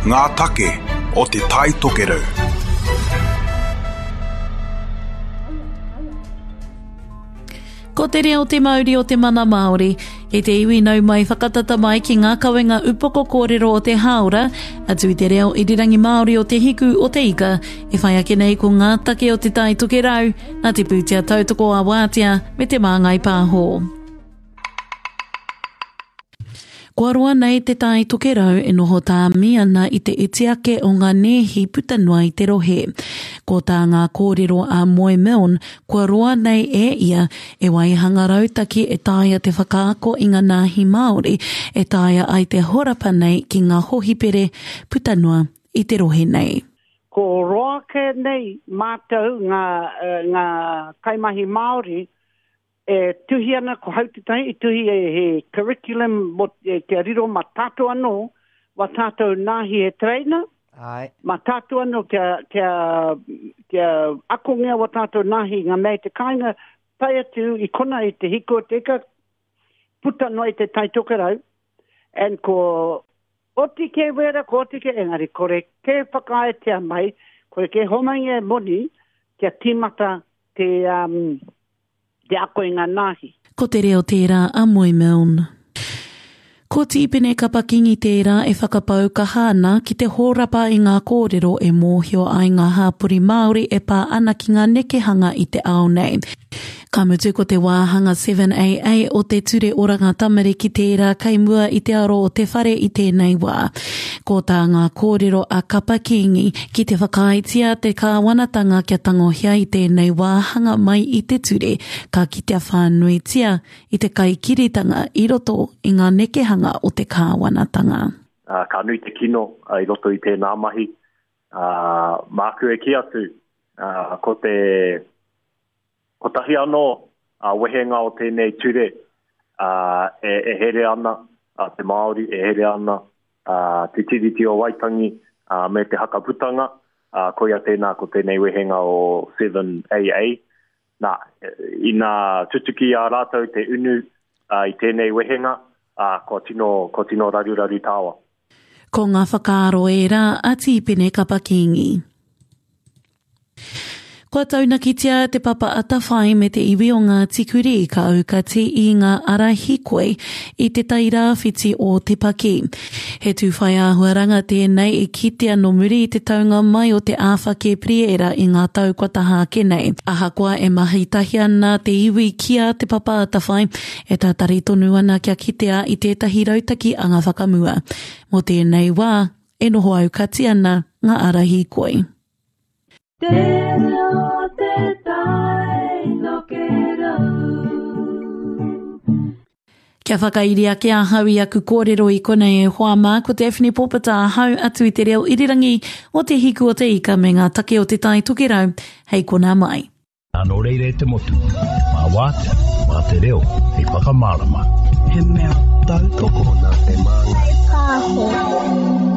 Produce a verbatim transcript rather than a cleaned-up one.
Ngā take o Te Tai Tokerau. Ko te reo te mauri o te mana Māori, e te iwi nau mai whakatata mai ki ngā kawenga upoko kōrero o te hāora, atu i te reo irirangi Māori o te hiku o te ika, e whai ake nei ko ngā take o Te Tai Tokerau, nā te pūtea tautoko a Wātea me te Māngai Pāho. Kua roa nei te Tai Tokerau e noho tāmi ana i te iti ake o ngā nēhi puta noa i te rohe. Ko tā ngā kōrero a Moe Milne, kua roa nei e ia e waihanga rautaki e taea te whakaako i ngā nāhi Māori e taea ai te horapa nei ki ngā hohipere puta noa i te rohe nei. Ko roa ke nei mātou ngā, ngā kaimahi Māori e tuhi ana ko hau te tahi, i tuhi e he curriculum mo, e, kia riro ma tātou anō, wa tātou nāhi he trainer, Ai. ma tātou anō kia, kia, kia akongia wa tātou nāhi ngā mea i te kāinga, tae atu i kona i te hiku o te ika, puta noa i te Tai Tokerau, and ko oti ke wera, ko oti ke engari, kore ke whakaaetia mai, kore ke homaingia e moni, kia tīmata te, um, te ako i ngā nāhi. Ko te reo tērā a Moe Milne. Ko Tīpene Kapa-Kingi tērā e whakapau kaha ana ki te hōrapa i ngā kōrero e mōhio ai ngā hāpori Māori e pā ana ki ngā nekehanga i te ao nei. Ka mutu ko te wāhanga seven A A o te Ture Oranga Tamariki tērā kei mua i te aro o te whare i tēnei wā. Ko tā ngā kōrero a Kapa-Kingi ki te whakaaetia te kāwanatanga kia tangohia i tēnei wāhanga mai i te ture, ka kitea whānuitia i te kaikiritanga i roto i ngā nekehanga o te kāwanatanga. Uh, ka nui te kino uh, i roto i tēnā mahi. Uh, māku e ki atu, uh, ko te kotahi anō uh, wehenga o tēnei ture uh, e, e here ana uh, te Māori, e here ana uh, te Tiriti o Waitangi uh, me te Hakaputanga, uh, koia tēnā ko tēnei wehenga o seven A A. Nā, ina tutuki a rātou te unu uh, i tēnei wehenga, uh, kua tino, kua tino raruraru tāwa. Ko ngā whakaaro e rā a Tīpene Kapa-Kingi. Kua taunakitia te Papa Atawhai me te iwi o Ngāti Kurī ka aukati i ngā ara hīkoi i te tairāwhiti o Te Paki. He tūwhai āhuaranga tēnei i kitea no muri i te taunga mai o te āwha Kepriera i ngā tau kua taha ake nei. Ahakoa e mahi tahi ana te iwi ki a te Papa Atawhai, e tātari tonu ana kia kitea i tētahi rautaki anga whakamua. Mō tēnei wā, e noho aukati ana ngā ara hīkoi. Te reo te tai tokerau. Kia whakairi ake ahau i aku kōrero i konei e hoa mā, ko Daphne Pōpata ahau atu i te reo irirangi o te hiku o te ika me ngā take o te Tai Tokerau, hei kona mai. Nā reira e te motu, mā wātea, mā te reo, hei whakamārama. He mea tautoko nā te māngai. Pāho.